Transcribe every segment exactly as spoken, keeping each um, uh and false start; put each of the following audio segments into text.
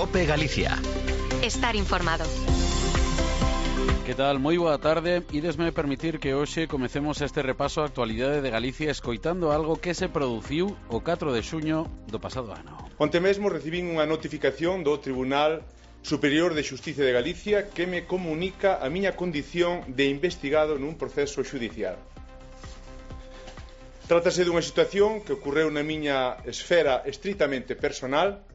COPE Galicia. Estar informado. Que tal? Moi boa tarde. Idesme permitir que hoxe comecemos este repaso á actualidade de Galicia escoitando algo que se produciu o catro de xuño do pasado ano. Onte mesmo recibín unha notificación do Tribunal Superior de Xustiza de Galicia que me comunica a miña condición de investigado nun proceso xudicial. Trátase dunha situación que ocorreu na miña esfera estritamente personal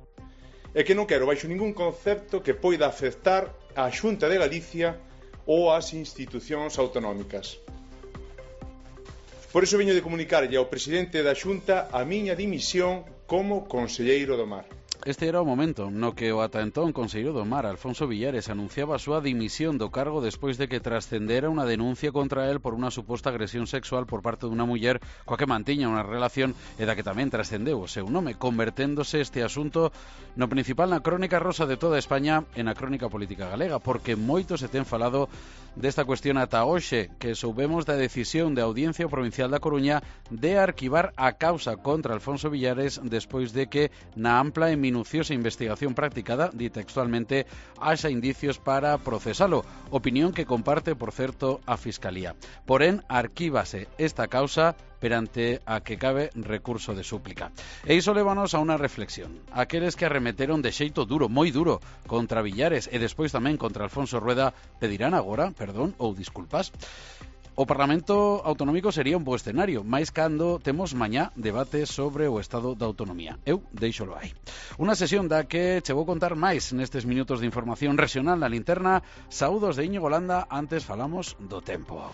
e que non quero baixo ningún concepto que poida afectar á Xunta de Galicia ou ás institucións autonómicas. Por iso veño de comunicarlle ao presidente da Xunta a miña dimisión como conselleiro do Mar. Este era o momento no que o ata entón conselleiro do Mar, Alfonso Villares, anunciaba a súa dimisión do cargo despois de que trascendera unha denuncia contra el por unha suposta agresión sexual por parte dunha muller coa que mantiña unha relación e da que tamén trascendeu o seu nome, converténdose este asunto no principal na crónica rosa de toda España e na crónica política galega, porque moito se ten falado desta cuestión ata hoxe, que soubemos da decisión da Audiencia Provincial da Coruña de arquivar a causa contra Alfonso Villares despois de que na ampla e minuciosa investigación practicada, di textualmente, haxa indicios para procesalo, opinión que comparte, por certo, a Fiscalía. Porén, arquívase esta causa perante a que cabe recurso de súplica. E iso lévanos a unha reflexión. Aqueles que arremeteron de xeito duro, moi duro, contra Villares e despois tamén contra Alfonso Rueda, pedirán agora perdón ou disculpas? O Parlamento Autonómico sería un bo escenario, máis cando temos mañá debate sobre o estado da autonomía. Eu deixolo aí. Unha sesión da que che vou contar máis nestes minutos de información regional na linterna. Saúdos de Íñigo Landa, antes falamos do tempo.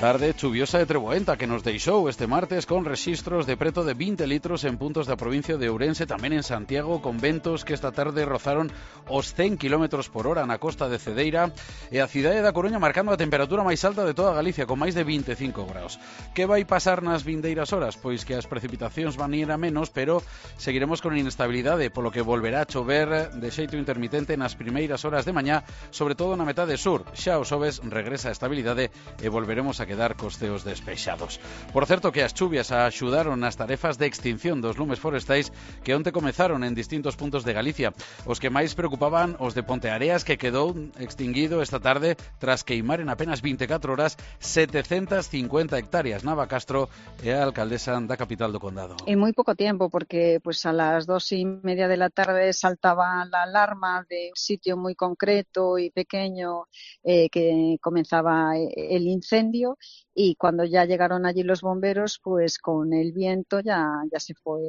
Tarde chuviosa e treboenta que nos deixou este martes con rexistros de preto de vinte litros en puntos da provincia de Ourense, tamén en Santiago, con ventos que esta tarde rozaron os cen kilómetros por hora na costa de Cedeira, e a cidade da Coruña marcando a temperatura máis alta de toda Galicia, con máis de vinte e cinco graus. Que vai pasar nas vindeiras horas? Pois que as precipitacións van ir a menos, pero seguiremos con inestabilidade, polo que volverá a chover de xeito intermitente nas primeiras horas de mañá, sobre todo na metade sur. Xa o xoves regresa a estabilidade e volveremos a quedar costeos despexados. Por certo que as chuvias axudaron nas tarefas de extinción dos lumes forestais que onte comezaron en distintos puntos de Galicia. Os que máis preocupaban os de Ponteareas, que quedou extinguido esta tarde tras queimar en apenas vinte e catro horas setecentas cincuenta hectáreas. Nava Castro é a alcaldesa da capital do condado. En moi pouco tiempo, porque pues a las dos y media de la tarde saltaba la alarma de un sitio muy concreto y pequeño eh, que comenzaba el incendio. Y cuando ya llegaron allí los bomberos, pues con el viento ya, ya se fue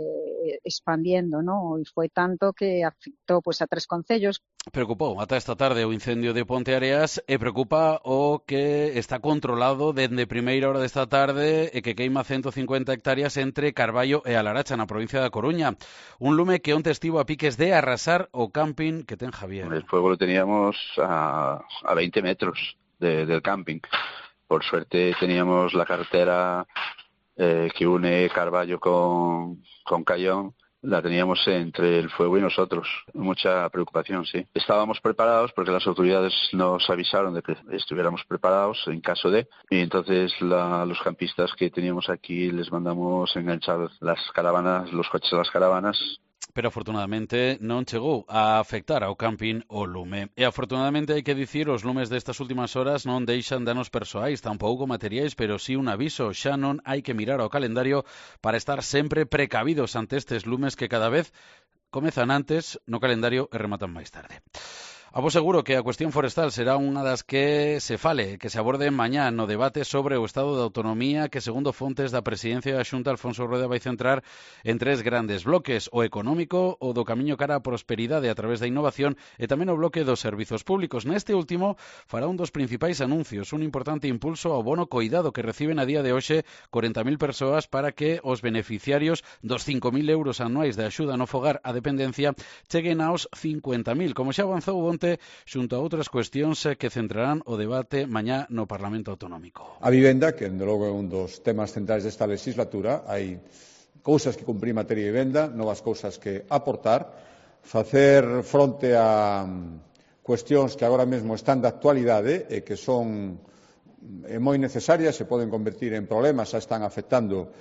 expandiendo, ¿no? Y fue tanto que afectó pues a tres concellos. Preocupou ata esta tarde o incendio de Ponteareas e preocupa o que está controlado dende primeira hora desta tarde e que queima ciento cincuenta hectáreas entre Carballo e Alaracha, na provincia da Coruña. Un lume que onte estivo a piques de arrasar o camping que ten Javier. El fuego lo teníamos a, a veinte metros de, del camping. Por suerte teníamos la carretera eh, que une Carballo con, con Cayón, la teníamos entre el fuego y nosotros. Mucha preocupación, sí. Estábamos preparados porque las autoridades nos avisaron de que estuviéramos preparados en caso de, y entonces la, los campistas que teníamos aquí les mandamos enganchar las caravanas, los coches a las caravanas. Pero afortunadamente non chegou a afectar ao camping o lume. E afortunadamente hai que dicir, os lumes destas últimas horas non deixan danos persoais, tampouco materiais, pero sí un aviso, xa non hai que mirar ao calendario para estar sempre precavidos ante estes lumes que cada vez comezan antes no calendario e rematan máis tarde. A vos seguro que a cuestión forestal será unha das que se fale, que se aborde mañá no debate sobre o estado de autonomía que, segundo fontes da presidencia da Xunta, Alfonso Rueda vai centrar en tres grandes bloques: o económico, o do camiño cara á prosperidade a través da innovación e tamén o bloque dos servizos públicos. Neste último fará un dos principais anuncios, un importante impulso ao bono coidado que reciben a día de hoxe corenta mil persoas para que os beneficiarios dos cinco mil euros anuais de axuda no fogar á dependencia cheguen aos cincuenta mil, como xa avanzou onte xunto a outras cuestións que centrarán o debate mañá no Parlamento Autonómico. A vivenda, que dende logo é un dos temas centrais desta legislatura, hai cousas que cumprir en materia de vivenda, novas cousas que aportar, facer fronte a cuestións que agora mesmo están de actualidade e que son moi necesarias, se poden convertir en problemas, xa están afectando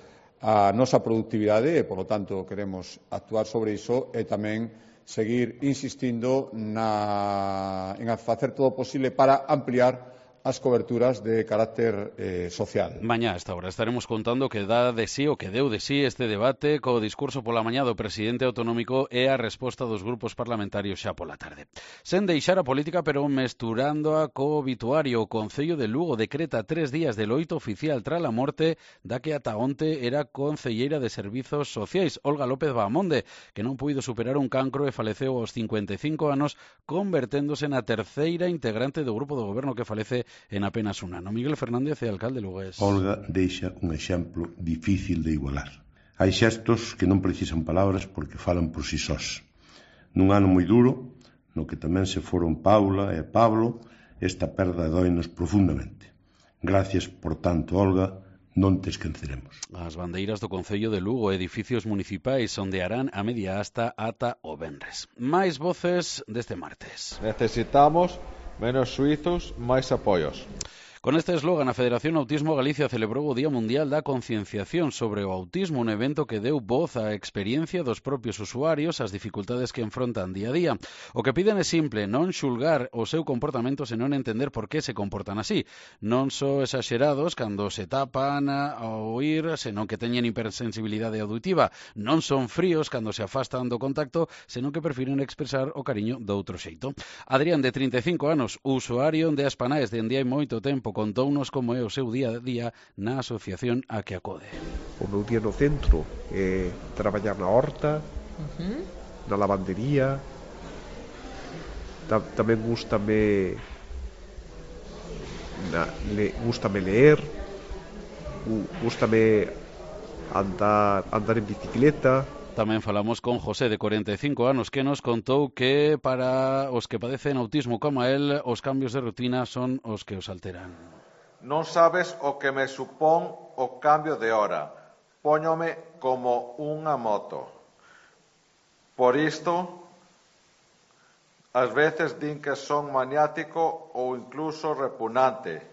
a nosa productividade e, polo tanto, queremos actuar sobre iso e tamén seguir insistindo na, en facer todo o posible para ampliar as coberturas de carácter eh, social. Mañá a esta hora estaremos contando que dá de sí o que deu de sí este debate co discurso pola mañá do presidente autonómico e a resposta dos grupos parlamentarios xa pola tarde. Sen deixar a política, pero mesturándoa co obituario, o Concello de Lugo decreta tres días de loito oficial tras a morte da que ata onte era concelleira de Servizos Sociais, Olga López Bahamonde, que non puido superar un cancro e faleceu aos cincuenta e cinco anos, converténdose na terceira integrante do grupo do goberno que falece en apenas un ano. Miguel Fernández é alcalde de Lugués. Olga deixa un exemplo difícil de igualar. Hai xestos que non precisan palabras porque falan por si sós. Nun ano moi duro, no que tamén se foron Paula e Pablo, esta perda doinos profundamente. Gracias, por tanto, Olga, non te esqueceremos. As bandeiras do Concello de Lugo, edificios municipais ondearán a media asta ata o venres. Máis voces deste martes. Necesitamos menos suizos, máis apoios. Con este eslogan, a Federación Autismo Galicia celebrou o Día Mundial da Concienciación sobre o Autismo, un evento que deu voz á experiencia dos propios usuarios, as dificultades que enfrontan día a día. O que piden é simple, non xulgar o seu comportamento, senón entender por que se comportan así. Non só exaxerados cando se tapan ao oír, senón que teñen hipersensibilidade auditiva. Non son fríos cando se afastan do contacto, senón que prefiren expresar o cariño doutro xeito. Adrián, de trinta e cinco anos, usuario de Aspanaes dende hai moito tempo, contounos como é o seu día a día na asociación a que acode. O meu día no centro é traballar na horta, uh-huh. na lavandería, Ta- tamén gústame na, le, gústame leer, gústame andar, andar en bicicleta. Tamén falamos con José, de cuarenta e cinco anos, que nos contou que para os que padecen autismo como a él, os cambios de rutina son os que os alteran. Non sabes o que me supón o cambio de hora. Póñome como unha moto. Por isto, ás veces din que son maniático ou incluso repugnante.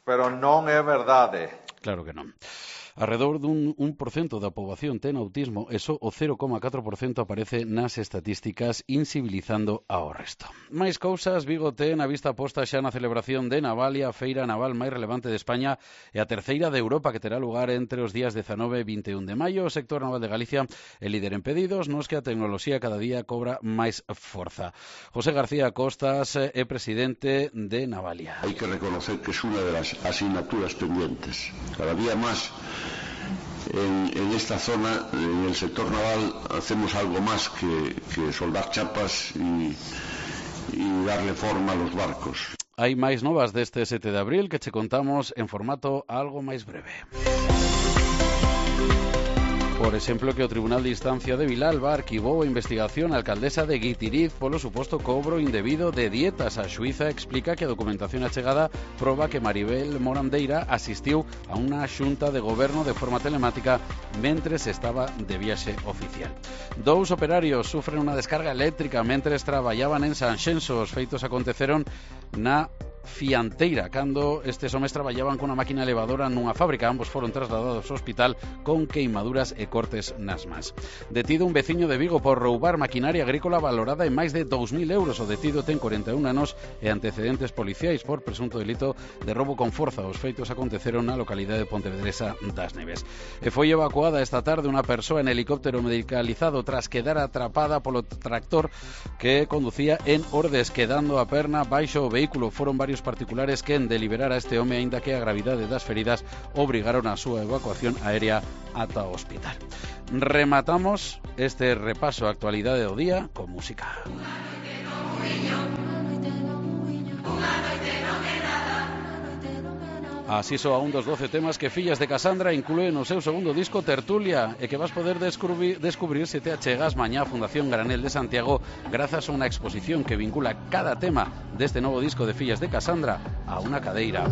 Pero non é verdade. Claro que non. Arredor dun un por cento da poboación ten autismo e só o cero coma catro por cento aparece nas estatísticas, insibilizando ao resto. Máis cousas, Vigo ten a vista posta xa na celebración de Navalia, a feira naval máis relevante de España e a terceira de Europa, que terá lugar entre os días dezanove e vinte e un de maio. O sector naval de Galicia é líder en pedidos, nos que a tecnoloxía cada día cobra máis forza. José García Costas é presidente de Navalia. Hay que reconocer que es una de las asignaturas pendientes. Cada día más En, en esta zona, en el sector naval, hacemos algo más que, que soldar chapas y, y darle forma a los barcos. Hai máis novas deste sete de abril que che contamos en formato algo máis breve. Por exemplo, que o Tribunal de Instancia de Vilalba arquivou a investigación á alcaldesa de Guitiriz polo suposto cobro indebido de dietas. A xuíza explica que a documentación achegada proba que Maribel Morandeira asistiu a unha xunta de goberno de forma telemática mentres estaba de viaxe oficial. Dous operarios sufren unha descarga eléctrica mentres traballaban en Sanxenso. Os feitos aconteceron na Fianteira, cando estes homes traballaban cunha máquina elevadora nunha fábrica. Ambos foron trasladados ao hospital con queimaduras e cortes nas mans. Detido un veciño de Vigo por roubar maquinaria agrícola valorada en máis de dous mil euros. O detido ten cuarenta e un anos e antecedentes policiais por presunto delito de roubo con forza. Os feitos aconteceron na localidade de Pontevedresa das Neves. E foi evacuada esta tarde unha persoa en helicóptero medicalizado tras quedar atrapada polo tractor que conducía en Ordes, quedando a perna baixo o vehículo. Foron varios particulares que en deliberar a este home, aínda que a gravidade das feridas obrigaron a súa evacuación aérea ata o hospital. Rematamos este repaso á actualidade do día con música. Así soa un dos doce temas que Fillas de Casandra inclúe no seu segundo disco Tertulia e que vas poder descubrir, descubrir se te achegas mañá a Fundación Granel de Santiago grazas a unha exposición que vincula cada tema deste novo disco de Fillas de Casandra a unha cadeira.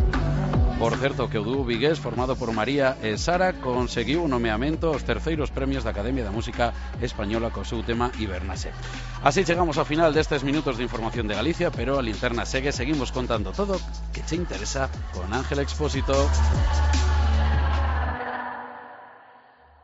Por certo, que o dúo vigués formado por María e Sara conseguiu o nomeamento aos terceiros premios da Academia da Música Española co seu tema Hibernase. Así chegamos ao final destes minutos de información de Galicia, pero a linterna segue, seguimos contando todo que che interesa con Ángel Expósito.